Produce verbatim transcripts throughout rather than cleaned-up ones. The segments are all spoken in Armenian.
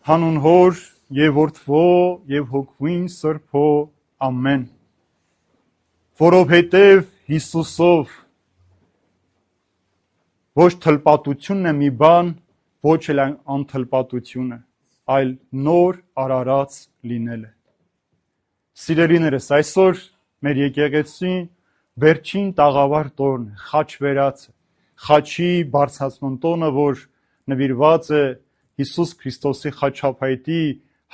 Հանուն Հոր եւ Որդվո եւ Հոգվին Սրբո ամեն։ Որովհետեւ Հիսուսով ոչ թլպատությունն է մի բան, ոչ էլ անթլպատությունը, այլ նոր արարած լինելը։ Սիրելիներս, այսօր մեր եկեղեցին վերջին տաղավար տոնն է, խաչվերածը, խաչի բարձրացման տոնը, որ նվիրված է Հիսուս Քրիստոսի խաչափայտի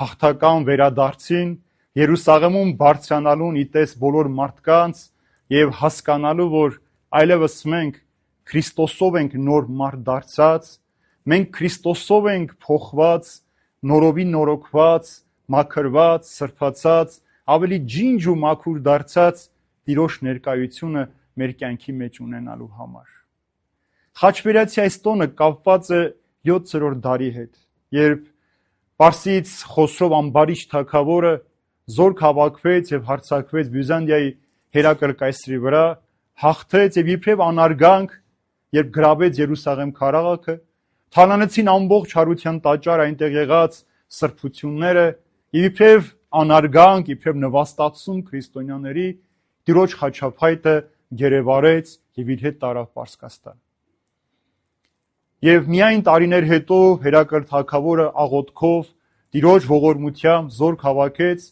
հաղթական վերադարձին, Երուսաղեմում բարձրանալուն իտես բոլոր մարդկանց եւ հասկանալու, որ այլևս մենք Քրիստոսով ենք նոր մարդ դարձած, մենք Քրիստոսով ենք փոխված, նորովի նորոգված, մաքրված, սրբացած, ավելի ջինջ ու մաքուր դարձած Տիրոջ ներկայությունը մեր կյանքի մեջ ունենալու համար։ Խաչվերացի այս տոնը կապված է յոթերորդ դարի հետ, երբ Պարսից Խոսրով ամբարիչ թագավորը զորք հավաքվեց եւ հարձակվեց Բյուզանդիայի Հերակլ կայսրի վրա, հաղթեց եւ իբրև անարգանք, երբ գրավեց Երուսաղեմ քաղաքը, թալանեցին ամբողջ հարության տաճար այնտեղ եղած սրբությունները, եւ իբրև անարգանք, իբրև նվաստացում քրիստոնյաների Տիրոջ խաչափայտը գերեվարեց եւ իր հետ տարավ Պարսկաստան։ Եվ միայն տարիներ հետո Հերակլ թագավորը աղոթքով Տիրոջ ողորմությամբ զորք հավաքեց,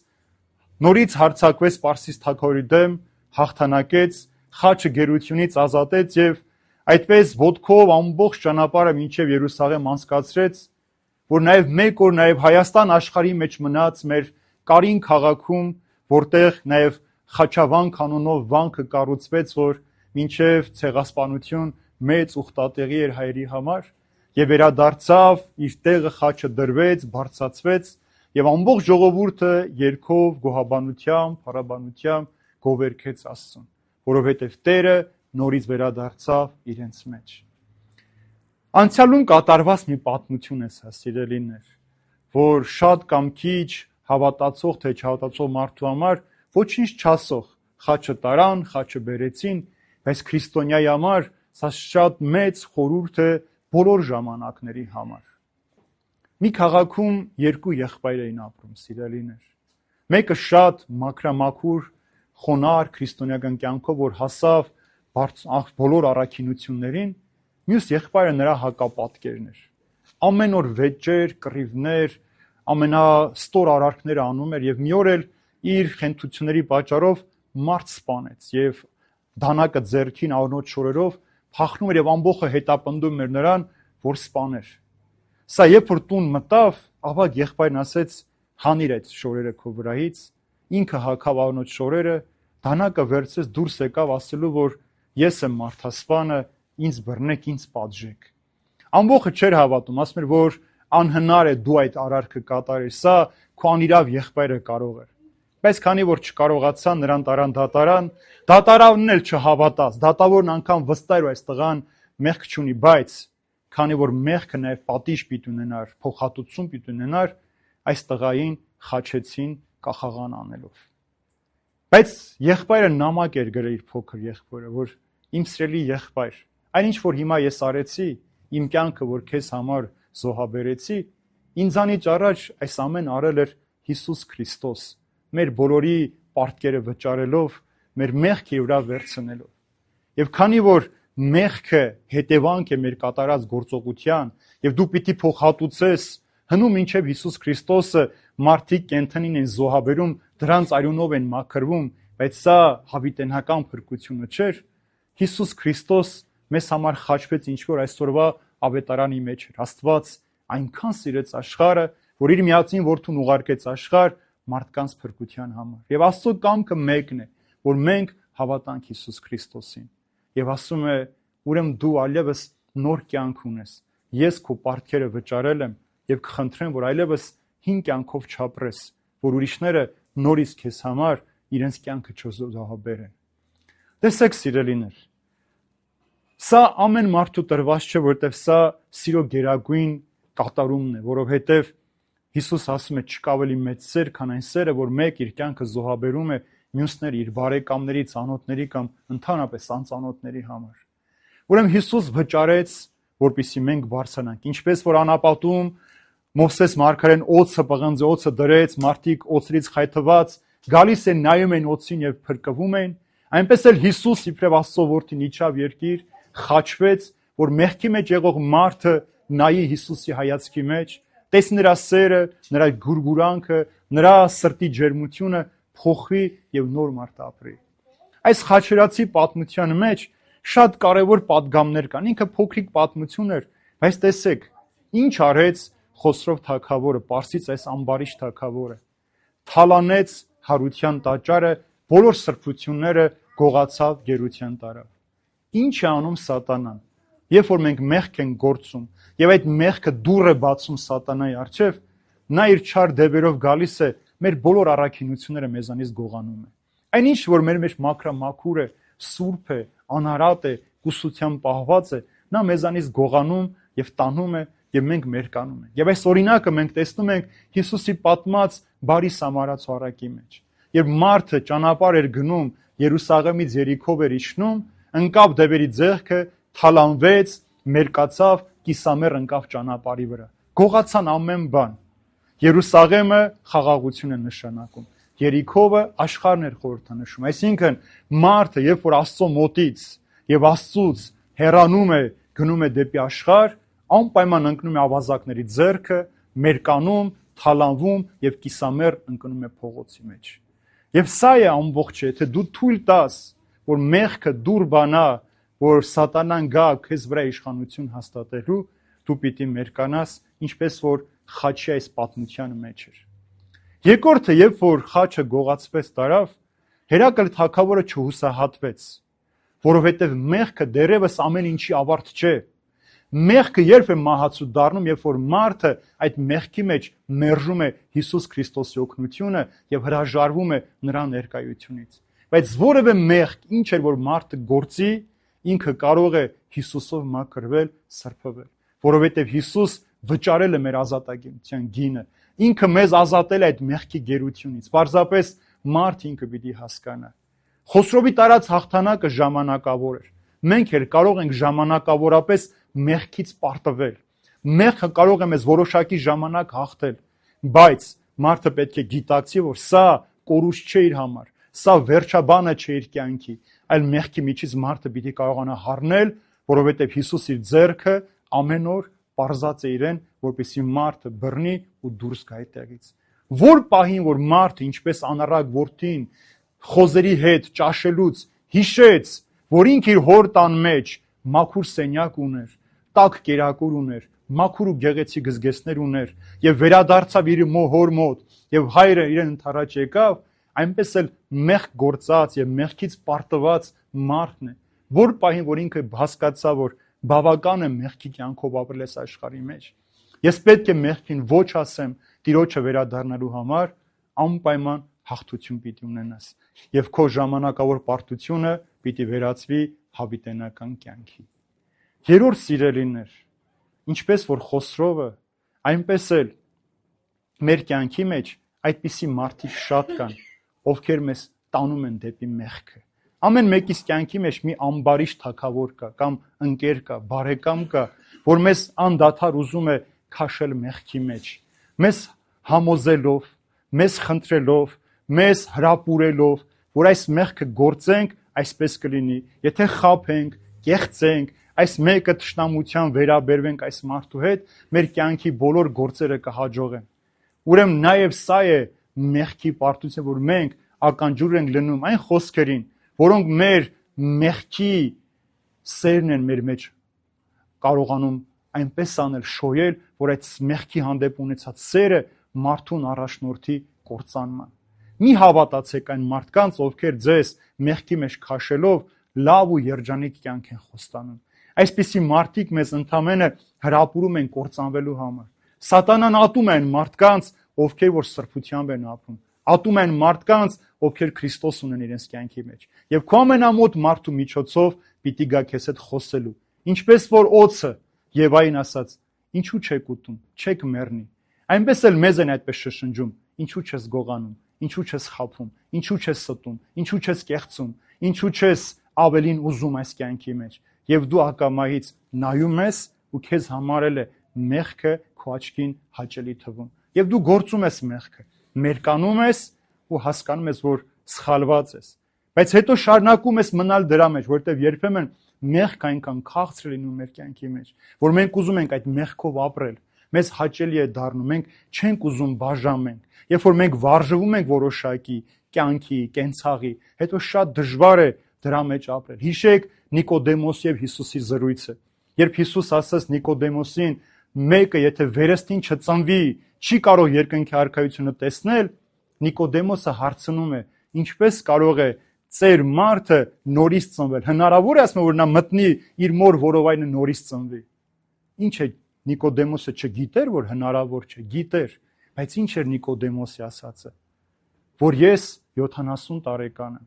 նորից հարձակվեց Պարսից թագավորի դեմ, հաղթանակեց, խաչը գերությունից ազատեց եւ այդպես ոտքով ամբողջ ճանապարհը մինչև Երուսաղեմ անցկացրեց, որ նաեւ մեկ օր նաեւ Հայաստան աշխարհի մեջ մնաց մեր Կարին քաղաքում, որտեղ նաեւ Խաչավանք անունով վանքը կառուցվեց, որ մինչև ցեղասպանություն մեծ ուխտատեղի էր հայերի համար, եւ վերադարձավ, իր տեղը խաչը դրվեց, բարձրացվեց, եւ ամբողջ ժողովուրդը երգով, գոհաբանությամբ, փառաբանությամբ գովերգեց Աստծուն, որովհետեւ Տերը նորից վերադարձավ իրենց մեջ։ Անցյալում կատարված մի պատմություն է սա, սիրելիներ, որ շատ կամ քիչ հավատացող թե չհավատացող մարդու համար ոչինչ չասող, խաչը տարան, խաչը բերեցին, բայց քրիստոնյայի համար սա շատ մեծ խորհուրդ է բոլոր ժամանակների համար։ Մի քաղաքում երկու եղբայր էին ապրում, սիրելիներ։ Մեկը շատ մաքրամաքուր, խոնար քրիստոնեական կյանքով, որ հասավ բոլոր առաքինություններին, մյուս եղբայրը նրա հակապատկերն էր։ Ամեն օր վեճեր, կռիվներ, ամենաստոր արարքները անում էր եւ մի օր էլ իր խենթությունների պատճառով մարդ սպանեց եւ դանակը ձեռքին առնոտ շորերով փախնում էր եւ ամբողջը հետապնդում էր նրան, որ սպաներ։ Սա երբ որ տուն մտավ, ավագ եղբայրն ասեց. «Հանիր այդ շորերը քո վրայից», ինքը հագավ առնոտ շորերը, դանակը վերցրեց, դուրս եկավ ասելու, որ ես եմ մարդասպանը, ինձ բռնեք, ինձ պատժեք։ Ամբողջը չէր հավատում, ասում էր, որ անհնար է դու այդ արարքը կատարես, սա քո անիրավ եղբայրը կարող էր։ Բայց քանի որ չկարողացան, նրան տարան դատարան, դատարանն էլ չհավատաց, դատավորն անգամ վստահ էր այս տղան մեղք չունի, բայց քանի որ մեղքը նաև պատիժ պիտի ունենար, փոխհատուցում պիտի ունենար, այս տղային խաչեցին կախաղան անելով։ Բայց եղբայրը նամակ էր գրել իր փոքր եղբորը, որ իմ սիրելի եղբայր, այնինչ որ հիմա ես արեցի, իմ կյանքը որ քեզ համար զոհաբերեցի, ինձանից առաջ այս ամեն արել էր Հիսուս Քրիստոս, մեր բոլորի պարտքերը վճարելով, մեր մեղքը իր վրա վերցնելով։ Եվ քանի որ մեղքը հետևանք է մեր կատարած գործողության, եւ դու պիտի փոխհատուցես, հնում մինչև Հիսուս Քրիստոսը մարդիկ կենթանին են զոհաբերում, դրանց արյունով են մաքրվում, բայց սա հավիտենական փրկությունը չէր, Հիսուս Քրիստոս մեզ համար խաչվեց ինչ որ այսօրվա ավետարանի մեջ էր։ Աստված այնքան սիրեց աշխարհը, որ իր միածին որդուն ուղարկեց աշխարհ մարդկանց փրկության համար։ Եվ Աստծո կամքը մեկն է, որ մենք հավատանք Հիսուս Քրիստոսին։ Եվ ասում է, ուրեմն դու այլևս նոր կյանք ունես։ Ես քո պարտքերը վճարել եմ եւ կխնդրեմ, որ այլևս հին կյանքով չապրես, որ ուրիշները նորից քեզ համար իրենց կյանքը չզոհաբերեն։ Տեսեք, սիրելիներ, սա ամեն մարդու տրված չէ, որովհետև սա սիրո գերագույն կատարումն է, որովհետև Հիսուս ասում է, չկա ավելի մեծ սեր, քան այն սերը, որ մեկ իր կյանքը զոհաբերում է մյուսների, իր բարեկամների, ծանոթների կամ ընդհանրապես անծանոթների համար։ Ուրեմն Հիսուս վճարեց, որպեսզի մենք բարձրանանք, ինչպես որ անապատում Մովսես մարգարեն օծը պղնձ օծը դրեց, մարդիկ օծրից խայթված գալիս են նայում են օծին եւ փրկվում են, այնպես էլ Հիսուս իբրև Աստծո որդին իջավ երկիր, խաչվեց, որ մեղքի մեջ եղող մարդը նայի Հիսուսի հայացքի մեջ, տեսնի նրա սերը, նրա գուրգուրանքը, նրա սրտի ջերմությունը փոխվի եւ նոր մարդ ապրի։ Այս խաչերացի պատմության մեջ շատ կարևոր պատգամներ կան, ինքը փոքրիկ պատմություն էր, բայց տեսեք, ինչ արեց Խոսրով թագավորը, Պարսից այս ամբարիշ թագավորը, թալանեց հարության տաճարը, բոլոր սրբությունները գողացավ, գերության տարավ։ Ինչ է անում սատանան։ Երբ որ մենք մեղք ենք գործում, եւ այդ մեղքը դուռ է բացում սատանայի առջև, նա իր չար դևերով գալիս է, մեր բոլոր առաքինությունները մեզանից գողանում է։ Այնինչ որ մեր մեջ մաքրամաքուր է, սուրբ է, անարատ է, կուսությամբ պահված է, նա մեզանից գողանում եւ տանում է եւ մենք մերկանում ենք։ Եվ այս օրինակը մենք տեսնում ենք Հիսուսի պատմած բարի Սամարացու առակի մեջ։ Երբ մարդը ճանապարհ էր գնում, Երուսաղեմից Երիքով էր իջնում, ընկավ դևերի ձեռքը, թալանվեց, մերկացավ, կիսամեռ ընկավ ճանապարհի վրա։ Գողացան ամեն բան։ Երուսաղեմը խաղաղություն է նշանակում։ Երիքովը աշխարհն էր խորհրդանշում։ Այսինքն մարդը, երբ որ Աստծո մոտից եւ Աստծուց հեռանում է, գնում է դեպի աշխարհ, անպայման ընկնում է ավազակների ձեռքը, մերկանում, թալանվում եւ կիսամեռ ընկնում է փողոցի մեջ։ Եվ սա է ամբողջը, եթե դու թույլ տաս, որ մեղքը դուր բանա, որ սատանան գա քեզ վրա իշխանություն հաստատելու, դու պիտի մերկանաս, ինչպես որ խաչի այս պատմության մեջ էր։ Երկրորդը, երբ որ խաչը գողացվեց տարավ, Հերակլ թագավորը չհուսահատվեց, որովհետև մեղքը դեռևս ամեն ինչի ավարտ չէ։ Մեղքը երբ է մահացու դառնում, երբ որ մարդը այդ մեղքի մեջ մերժում է Հիսուս Քրիստոսի օգնությունը եւ հրաժարվում է նրա ներկայությունից։ Բայց որևէ մեղք, ինչ էր որ մարդը գործի, ինքը կարող է Հիսուսով մաքրվել, սրբվել, որովհետև Հիսուս վճարել է մեր ազատագործության գինը։ Ինքը մեզ ազատել է այդ մեղքի գերությունից։ Պարզապես մարդ ինքը պիտի հասկանա։ Խոսրովի տարած հաղթանակը ժամանակավոր էր։ Մենք էլ կարող ենք ժամանակավորապես մեղքից պարտվել։ Մեղքը կարող է մեզ որոշակի ժամանակ հաղթել, բայց մարդը պետք է գիտակցի, որ սա կորուստ չէ իր համար, սա վերջաբանը չէ իր կյանքի, այլ մեղքի միջից մարդը պիտի կարողանա հառնել, որովհետև Հիսուս իր ձեռքը ամեն օր պարզած է իրեն, որպեսզի մարդը բռնի ու դուրս գա այդտեղից։ Որ պահին, որ մարդը ինչպես անառակ որդին խոզերի հետ ճաշելուց հիշեց, որ ինքը իր հոր տան մեջ մաքուր սենյակ ուներ, տաք կերակուր ուներ, մաքուր ու գեղեցիկ զգեստներ ուներ եւ վերադարձավ իր հոր մոտ եւ հայրը իրեն ընթառաջ եկավ, այնպես էլ մեղք գործած եւ մեղքից պարտված մարդն է, որ պահին, որ ինքը հասկացավ, որ բավական է մեղքի կյանքով ապրել այս աշխարհի մեջ, ես պետք է մեղքին ոչ ասեմ, Տիրոջը վերադառնալու համար անպայման հաղթություն պիտի ունենաս եւ քո ժամանակավոր պարտությունը պիտի վերածվի հավիտենական կյանքի։ Երրորդ սիրելիներ, ինչպես որ Խոսրովը, այնպես էլ մեր կյանքի մեջ այդպիսի մարդիկ շատ կան, ովքեր մեզ տանում են դեպի մեղքը։ Ամեն մեկիս կյանքի մեջ մի ամբարիշ թագավոր կա, կամ ընկեր կա, բարեկամ կա, որ մեզ անդադար ուզում է քաշել մեղքի մեջ, մեզ համոզելով, մեզ խնդրելով, մեզ հրապուրելով, որ այս մեղքը գործենք, այսպես կլինի, եթե խաբենք, կեղծենք, այս մեկը թշնամության վերաբերվենք այս մարդու հետ, մեր կյանքի բոլոր գործերը կհաջողեն։ Ուրեմն նաև սա է մեղքի պարտությունը, որ մենք ականջուր ենք լնում այն խոսքերին, որոնք մեր մեղքի սերն են մեր մեջ կարողանում այնպես անել շոյել, որ այդ մեղքի հանդեպ ունեցած սերը մարդուն առաջնորդի կործանման։ Մի հավատացեք այն մարդկանց, ովքեր ձեզ մեղքի մեջ քաշելով լավ ու երջանիկ կյանք են խոստանում։ Այսպիսի մարդիկ մեզ ընդամենը հրապուրում են կործանվելու համար։ Սատանան ատում է այն մարդկանց, ովքեր որ սրբությամբ են ապրում, ատում են մարդկանց, ովքեր Քրիստոս ունեն իրենց կյանքի մեջ։ Եվ քո ամենամոտ մարդու միջոցով պիտի գա քեզ հետ խոսելու։ Ինչպես որ օծը Եվային ասաց, ինչու չեք ուտում, չեք մեռնի։ Այնպես էլ մեզ են այդպես շշնջում, ինչու չես գողանում, ինչու չես խաբում, ինչու չես ստում, ինչու չես կեղծում, ինչու չես ավելին ուզում այս կյանքի մեջ։ Եվ դու ակամայից նայում ես ու քեզ համարել է մեղքը քո աչքին հաճելի թվում։ Եվ դու գործում ես մեղքը, մերկանում ես ու հասկանում ես, որ սխալված ես։ Բայց հետո շարունակում ես մնալ դրա մեջ, որովհետև երբեմն մեղքը այնքան քաղցր է լինում մեր կյանքի մեջ, որ մենք ուզում ենք այդ մեղքով ապրել։ Մեզ հաճելի է դառնում, մենք չենք ուզում բաժանենք։ Երբ որ մենք վարժվում ենք որոշակի կյանքի, կենցաղի, հետո շատ դժվար է դրա մեջ ապրել։ Հիշեք Նիկոդեմոս եւ Հիսուսի զրույցը։ Երբ Հիսուս ասաց Նիկոդեմոսին, մեկը եթե վերստին չծնվի, չի կարող երկնքի արքայությունը տեսնել, Նիկոդեմոսը հարցնում է, ինչպես կարող է ծեր մարդը նորից ծնվել։ Հնարավոր է ասում, որ նա մտնի իր մոր որովայնը նորից ծնվի։ Ինչ է Նիկոդեմոսը չգիտեր, որ հնարավոր չէ, գիտեր, բայց ինչ էր Նիկոդեմոսի ասածը, որ ես յոթանասուն տարեկան եմ,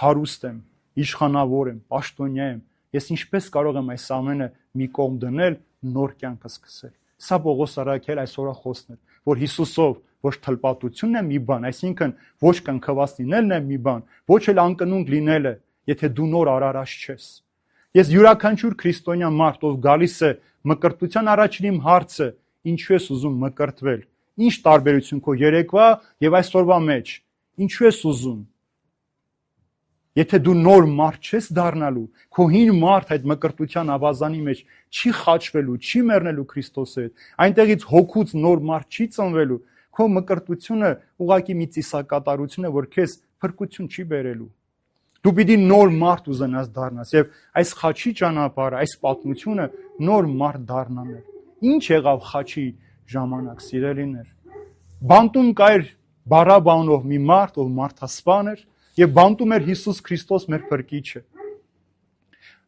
հարուստ եմ, իշխանավոր եմ, պաշտոնյա եմ, ես ինչպես կարող եմ այս ամենը մի կողմ դնել, նոր կյանք սկսել։ Սա Պողոս առաքյալ այսօր խոսն է, որ Հիսուսով ոչ թլպատությունն է մի բան, այսինքն ոչ կնքված լինելն է մի բան, ոչ էլ անկնունկ լինելը, եթե դու նոր արարած չես։ Ես յուրաքանչյուր քրիստոնյա մարդ, ով գալիս է մկրտության առաջին իմ հարցը, ինչու ես ուզում մկրտվել։ Ինչ տարբերություն քո երեկվա եւ այսօրվա մեջ։ Ինչու ես ուզում։ Եթե դու նոր մարդ չես դառնալու, քո հին մարդ այդ մկրտության ավազանի մեջ չի խաչվելու, չի մեռնելու Քրիստոսի հետ, այնտեղից հոգուց նոր մարդ չի ծնվելու, քո մկրտությունը ուղղակի մի ծիսակատարություն է, որ քեզ փրկություն չի բերելու։ Դու պիտի նոր մարդ ուզենաս դառնաս եւ այս խաչի ճանապարհը, այս պատմությունը նոր մարդ դառնալն է։ Ինչ եղավ խաչի ժամանակ, սիրելիներ։ Բանտում կար Բարաբանով մի մարդ, ով մարդասպան էր, եւ բանտում էր Հիսուս Քրիստոս մեր փրկիչը։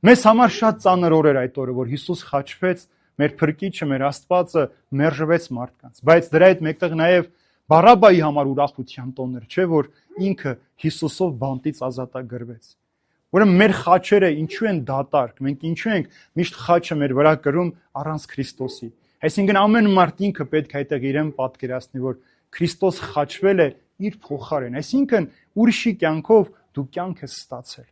Մեզ համար շատ ծանր օր էր այդ օրը, որ Հիսուս խաչվեց, մեր փրկիչը, մեր Աստվածը մերժվեց մարդկանց, բայց դրա հետ մեկտեղ նաեւ Բարաբայի համար ուրախության տոն էր, չէ՞ որ ինքը Հիսուսով բանտից ազատագրվեց։ Ուրեմն մեր խաչերը ինչու են դատարկ, մենք ինչու ենք միշտ խաչը մեր վրա կրում առանց Քրիստոսի։ Այսինքն ամեն մարդ ինքը պետք է այդտեղ իրեն պատկերացնի, որ Քրիստոս խաչվել է իր փոխարեն, այսինքն ուրիշի կյանքով դու կյանք ես ստացել։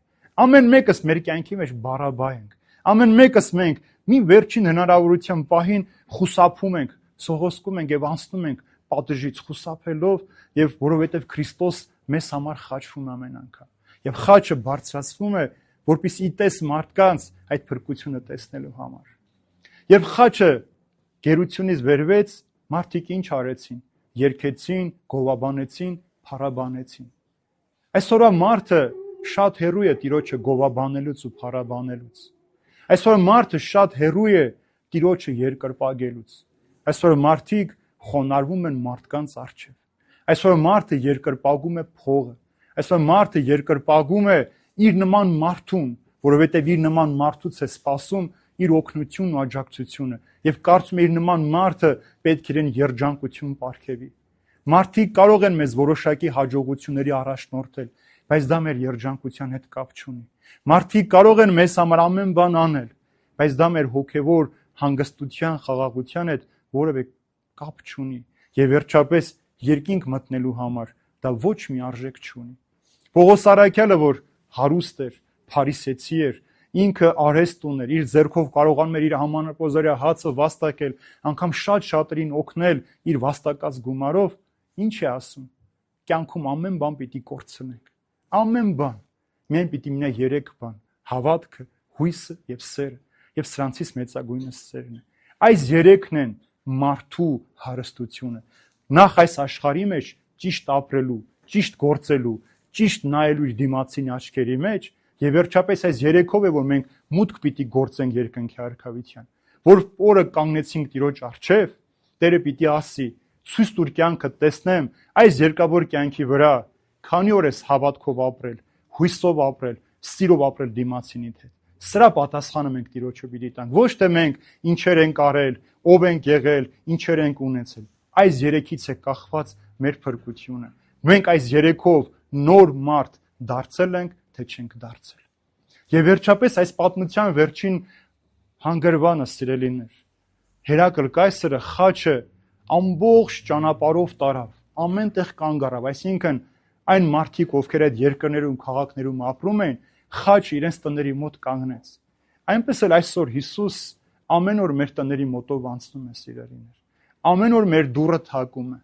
Ամեն մեկս մեր կյանքի մեջ Բարաբա ենք։ Ամեն մեկս մենք մի վերջին հնարավորության պահին խուսափում ենք, սողոսկում ենք եւ անցնում ենք պատժից խուսափելով եւ որովհետեւ Քրիստոս մեզ համար խաչվում ամեն անգամ։ Եվ խաչը բարձրացվում է, որպեսզի իտես մարդկանց այդ փրկությունը տեսնելու համար։ Երբ խաչը գերությունից վերվեց, մարդիկ ինչ արեցին։ Երգեցին, գովաբանեցին, փառաբանեցին։ Այսօրվա մարդը շատ հեռու է Տիրոջը գովաբանելուց ու փառաբանելուց։ Այսօր մարդը շատ հեռու է Տիրոջը երկրպագելուց։ Այսօր մարդիկ խոնարհվում են մարդկանց առջև։ Այսօր մարդը երկրպագում է փողը։ Այսօր մարդը երկրպագում է իր նման մարդուն, որովհետև իր նման մարդուց է սպասում իր օգնությունն ու աջակցությունը եւ կարծում է իր նման մարդը պետք է իրեն երջանկություն ապարգևի։ Մարդիկ կարող են մեզ որոշակի հաջողությունների առաջնորդել, բայց դա մեր երջանկության հետ կապ չունի։ Մարդիկ կարող են մեզ համար ամեն բան անել, բայց դա մեր հոգևոր հանգստության, խաղաղության հետ որևէ կապ չունի։ Եվ վերջապես երկինք մտնելու համար դա ոչ մի արժեք չունի։ Պողոս առաքյալը, որ հարուստ էր, փարիսեցի էր, ինքը արհեստ ուներ, իր ձեռքով կարողանում էր իր համանապոզարյա հացը վաստակել, անգամ շատ շատերին օգնել իր վաստակած գումարով, ինչ է ասում։ Կյանքում ամեն բան պիտի կորցնենք։ Ամեն բան։ Միայն պիտի մնա երեք բան՝ հավատքը, հույսը եւ սերը, եւ սրանցից մեծագույնը սերն է։ Այս երեքն են մարդու հարստությունը։ Նախ այս աշխարհի մեջ ճիշտ ապրելու, ճիշտ գործելու, ճիշտ նայելու իր դիմացին աչքերի մեջ, եւ վերջապես այս երեքով է, որ մենք մուտք պիտի գործենք երկնքի արքայության։ Որ օրը կանգնեցինք Տիրոջ առջև, Տերը պիտի ասի. «Ցույց տուր կյանքը տեսնեմ այս երկավոր կյանքի վրա, քանի օր ես հավատքով ապրել, հույսով ապրել, սիրով ապրել դիմացինիդ հետ»։ Սրա պատասխանը մենք Տիրոջը պիտի տանք։ Ոչ թե մենք ինչեր ենք արել, ով ենք եղել, ինչեր ենք ունեցել։ Այս երեքից է կախված մեր փրկությունը։ Մենք այս երեքով նոր մարդ դարձել ենք, թե չենք դարձել։ Եվ վերջապես այս պատմության վերջին հանգրվանը, սիրելիներ, Հերակլ կայսրը խաչը ամբողջ ճանապարհով տարավ, ամեն տեղ կանգ առավ, այսինքն այն մարդիկ, ովքեր այդ երկրներում, քաղաքներում ապրում են, խաչը իրենց տների մոտ կանգնեց։ Այնպես էլ այսօր Հիսուս ամեն օր մեր տների մոտով անցնում է, սիրելիներ։ ամեն օր մեր դուռը թակում է,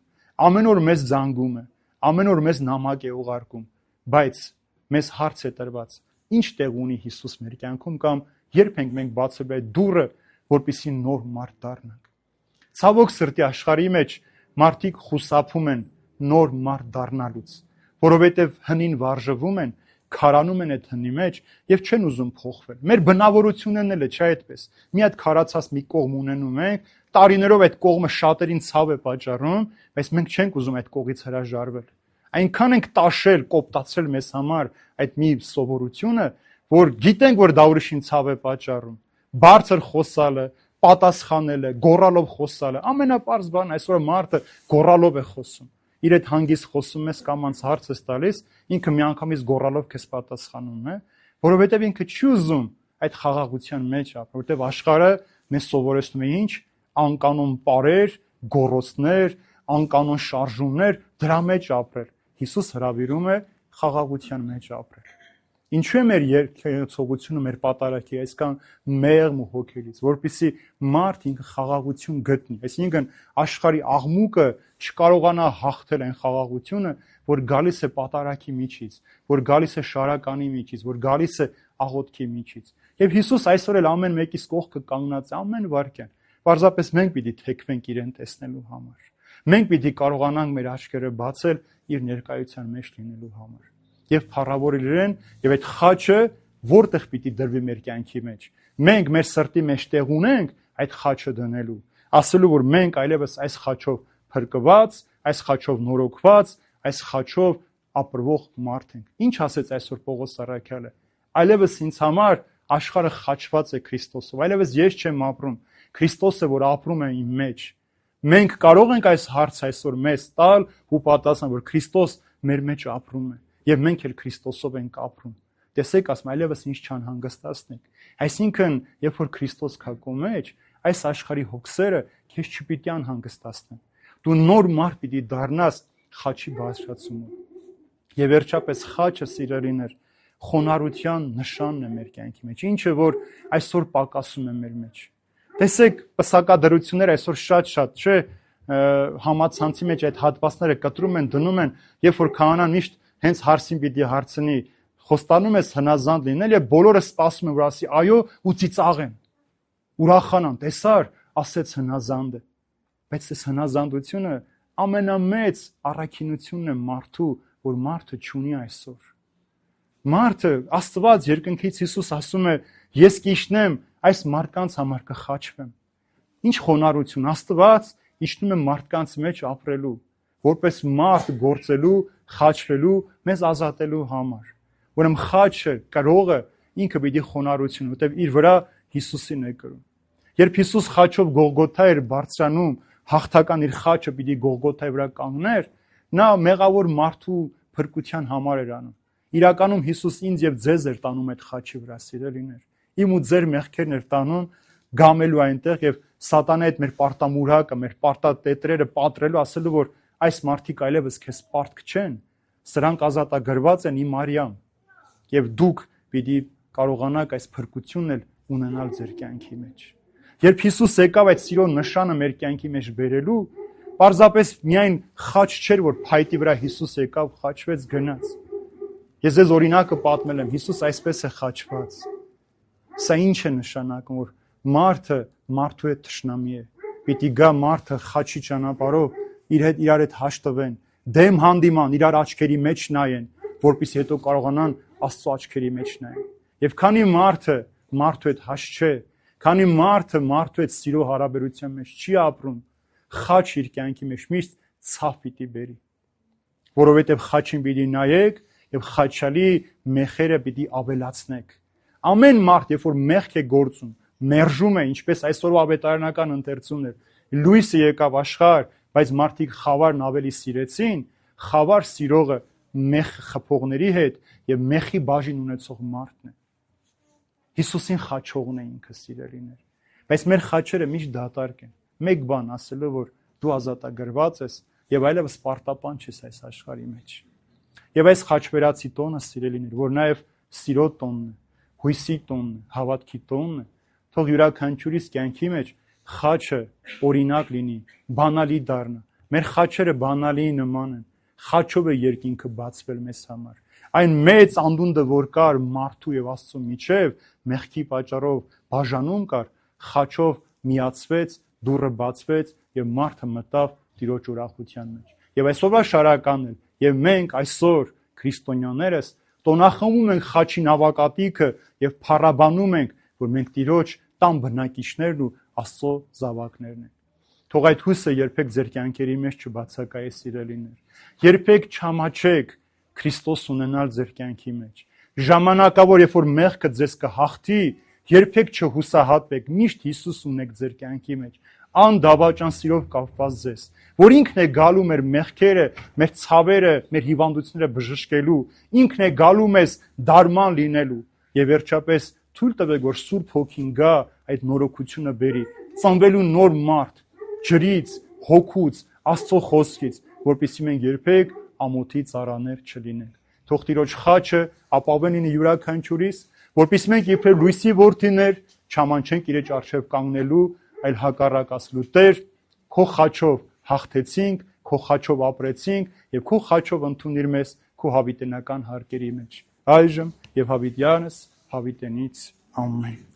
ամեն օր մեզ զանգում է, ամեն օր մեզ նամակ է ուղարկում, բայց մեզ հարց է տրված. ինչ տեղ ունի Հիսուս մեր կյանքում կամ երբ ենք մենք բացել այդ դուռը, որպեսզի նոր մարդ դառնանք։ Ցավոք սրտի աշխարհի մեջ մարդիկ խուսափում են նոր մարդ դառնալուց, որովհետև հնին վարժվում են, քարանում են այդ հնի մեջ եւ չեն ուզում փոխվել։ Մեր բնավորությունն էլ է, չէ՞ այդպես։ Մի հատ քարացած մի կողմ ունենում ենք, տարիներով այդ կողմը շատերին ցավ է պատճառում, բայց մենք չենք ուզում այդ կողից հրաժարվել։ Այնքան ենք տաշել, կոպտացել մեզ համար այդ մի սովորությունը, որ գիտենք, որ դա ուրիշին ցավ է պատճառում։ Բարձր խոսալը, պատասխանելը, գոռալով խոսալը, ամենապարզ բանն այսօր մարդը գոռալով է խոսում։ Իր այդ հանգիստ խոսում ես կամ անց հարց ես տալիս, ինքը միանգամից գոռալով քեզ պատասխանում է, որովհետև ինքը չի ուզում այդ խաղաղության մեջ ապրել, որովհետև աշխարհը մեզ սովորեցնում է ինչ, անկանոն պարեր, գոռոցներ, անկանոն շարժումներ, դրա մեջ ապրել։ Հիսուս հրավիրում է խաղաղության մեջ ապրել։ Ինչու է մեր երկեցողությունը, մեր պատարագի այսքան մեղմ ու հոգելից, որպեսզի մարդ ինքը խաղաղություն գտնի, այսինքն աշխարհի աղմուկը չկարողանա հաղթել այն խաղաղությունը, որ գալիս է պատարագի միջից, որ գալիս է շարականի միջից, որ գալիս է աղոթքի միջից։ Եվ Հիսուս այսօր էլ ամեն մեկիս կողքը կանգնած է ամեն վարքյան։ Պարզապես մենք պիտի թեքվենք իրեն տեսնելու համար։ Մենք պիտի կարողանանք մեր աչքերը բացել իր ներկայության մեջ լինելու համար։ Եվ փառավորել իրեն, եւ այդ խաչը որտեղ պիտի դրվի մեր կյանքի մեջ։ Մենք մեր սրտի մեջ տեղ ունենք այդ խաչը դնելու, ասելու, որ մենք այլևս այս խաչով փրկված, այս խաչով նորոգված, այս խաչով ապրվող մարդ ենք։ Ինչ ասեց այսօր Պողոս առաքյալը։ Այլևս ինձ համար աշխարհը խաչված է Քրիստոսով, այլևս ես չեմ ապրում, Քրիստոսը, որ ապրում է իմ մեջ։ Մենք կարող ենք այս հարցը այսօր մեզ տալ ու պատասխանել, որ Քրիստոս մեր մեջ ապրում է, եւ մենք էլ Քրիստոսով ենք ապրում։ Տեսեք, ասում այլևս ինչ չանհանգստացնեք։ Այսինքն, երբ որ Քրիստոս կա քո մեջ, այս աշխարհի հոգսերը քեզ չպիտի անհանգստացնեն։ Դու նոր մարդ պիտի դառնաս խաչի բարձրացումով։ Եվ վերջապես խաչը, սիրելիներ, խոնարհության նշանն է մեր կյանքի մեջ, ինչը որ այսօր պակասում է մեր մեջ։ Տեսեք, պսակադրությունները այսօր շատ-շատ, չէ, համացանցի մեջ այդ հատվածները կտրում են, դնում են, երբ որ քահանան միշտ հենց հարցին պիտի հարցնի, խոստանում ես հնազանդ լինել, եւ բոլորը սպասում են, որ ասի այո, ու ծիծաղեն, ուրախանան, տեսար, ասեց հնազանդ է։ Բայց այս հնազանդությունը ամենամեծ առաքինությունն է մարդու, որ մարդը չունի այսօր։ Մարդը, Աստված երկնքից Հիսուս ասում է, ես կիջնեմ այս մարդկանց համար կխաչվեմ։ Ինչ խոնարհություն, Աստված իջնում է մարդկանց մեջ ապրելու, որպես մարդ գործելու, խաչվելու, մեզ ազատելու համար։ Ուրեմն խաչը, կրողը ինքը պիտի խոնարհություն, որտեղ իր վրա Հիսուսին է կրում։ Երբ Հիսուս խաչով Գողգոթա էր բարձրանում, հաղթական իր խաչը պիտի Գողգոթայի վրա կանգներ, նա մեղավոր մարդու փրկության համար էր անում։ Իրականում Հիսուս ինձ եւ ձեզ էր տանում այդ խաչի վրա, սիրելիներ։ Իմ ու ձեր մեղքերն էր տանում գամելու այնտեղ եւ սատանա այդ մեր պարտամուրակը, մեր պարտատետրերը պատրելու, ասելու, որ այս մարդիկ այլևս քեզ պարտք չեն, սրանք ազատագրված են իմ արյամ եւ դուք պիտի կարողանաք այս փրկությունն էլ ունենալ ձեր կյանքի մեջ։ Երբ Հիսուս եկավ այդ սիրո նշանը մեր կյանքի մեջ բերելու, պարզապես միայն խաչ չէր, որ փայտի վրա Հիսուս եկավ, խաչվեց, գնաց։ Ես ձեզ օրինակը պատմել եմ, Հիսուս այսպես է խաչված։ Սա ինչ է նշանակում, որ մարդը մարդու հետ թշնամի է։ Պիտի գա մարդը խաչի ճանապարհով իր հետ իրար հետ հաշտվեն, դեմ հանդիման, իրար աչքերի մեջ նայեն, որպեսզի հետո կարողանան Աստծո աչքերի մեջ նայեն։ Եվ քանի մարդը մարդու հետ հաշտ չէ, քանի մարդը մարդու հետ սիրո հարաբերության մեջ չի ապրում, խաչ իր կյանքի մեջ միշտ ցավ պիտի բերի, որովհետև խաչին պիտի նայեք եւ խաչալի մեխերը պիտի ավելացնեք։ Ամեն մարդ, երբ որ մեղք է գործում, մերժում է, ինչպես այսօրվա ավետարանական ընթերցումն էր, լույսը եկավ աշխարհ, բայց մարդիկ խավարն ավելի սիրեցին, խավար սիրողը մեղ խփողների հետ եւ մեղի բաժին ունեցող մարդն է։ Հիսուսին խաչողն է ինքը, սիրելիներ։ Բայց մեր խաչերը միշտ դատարկ են։ Մեկ բան ասելով, որ դու ազատագրված ես եւ այլևս պարտապան չես այս աշխարհի մեջ։ Եվ այս խաչվերացի տոնը, սիրելիներ, որ նաեւ սիրո տոնն է, հույսի տոնն է, հավատքի տոնն է, թող յուրաքանչյուրիս կյանքի մեջ խաչը օրինակ լինի, բանալի դառնա։ Մեր խաչերը բանալի նման են։ Խաչով է երկինքը բացվել մեզ համար։ Այն մեծ անդունդը, որ կար մարդու եւ Աստծո միջև, մեղքի պատճառով բաժանում կար, խաչով միացվեց, դուռը բացվեց եւ մարդը մտավ Տիրոջ ուրախության մեջ։ Եվ այսօրվա շարականն էլ, եւ մենք այսօր քրիստոնյաներս տոնախմբում ենք խաչի նավակատիքը եւ փառաբանում ենք, որ մենք Տիրոջ տան բնակիչներն ու Աստծո զավակներն ենք։ Թող այդ հույսը երբեք ձեր կյանքերի մեջ չբացակայի, սիրելիներ։ Երբեք չամաչեք Քրիստոս ունենալ ձեր կյանքի մեջ։ Ժամանակավոր, երբ որ մեղքը ձեզ կհաղթի, երբեք չհուսահատվեք, միշտ Հիսուս ունեք ձեր կյանքի մեջ, անդավաճան սիրով կապված ձեզ, որ ինքն է գալու մեր մեղքերը, մեր ցավերը, մեր հիվանդությունները բժշկելու, ինքն է գալու մեզ դարման լինելու, եւ վերջապես թույլ տվեք, որ Սուրբ Հոգին գա այդ նորոգությունը բերի, ծնվելու նոր մարդ, ջրից, հոգուց, Աստծո խոսքից, որպեսզի մենք երբեք ամոթի ծառաներ չլինենք։ Թող Տիրոջ խաչը ապավեն լինի յուրաքանչյուրիս, որպեսզի մենք իբրև լույսի որդիներ չամանչենք Իր առջև կանգնելու, այլ հակառակ ասելու. Տեր, քո խաչով հաղթեցինք, քո խաչով ապրեցինք եւ քո խաչով ընդունիր մեզ քո հավիտենական հարկերի մեջ։ Այժմ եւ հավիտյանս հավիտենից ամեն։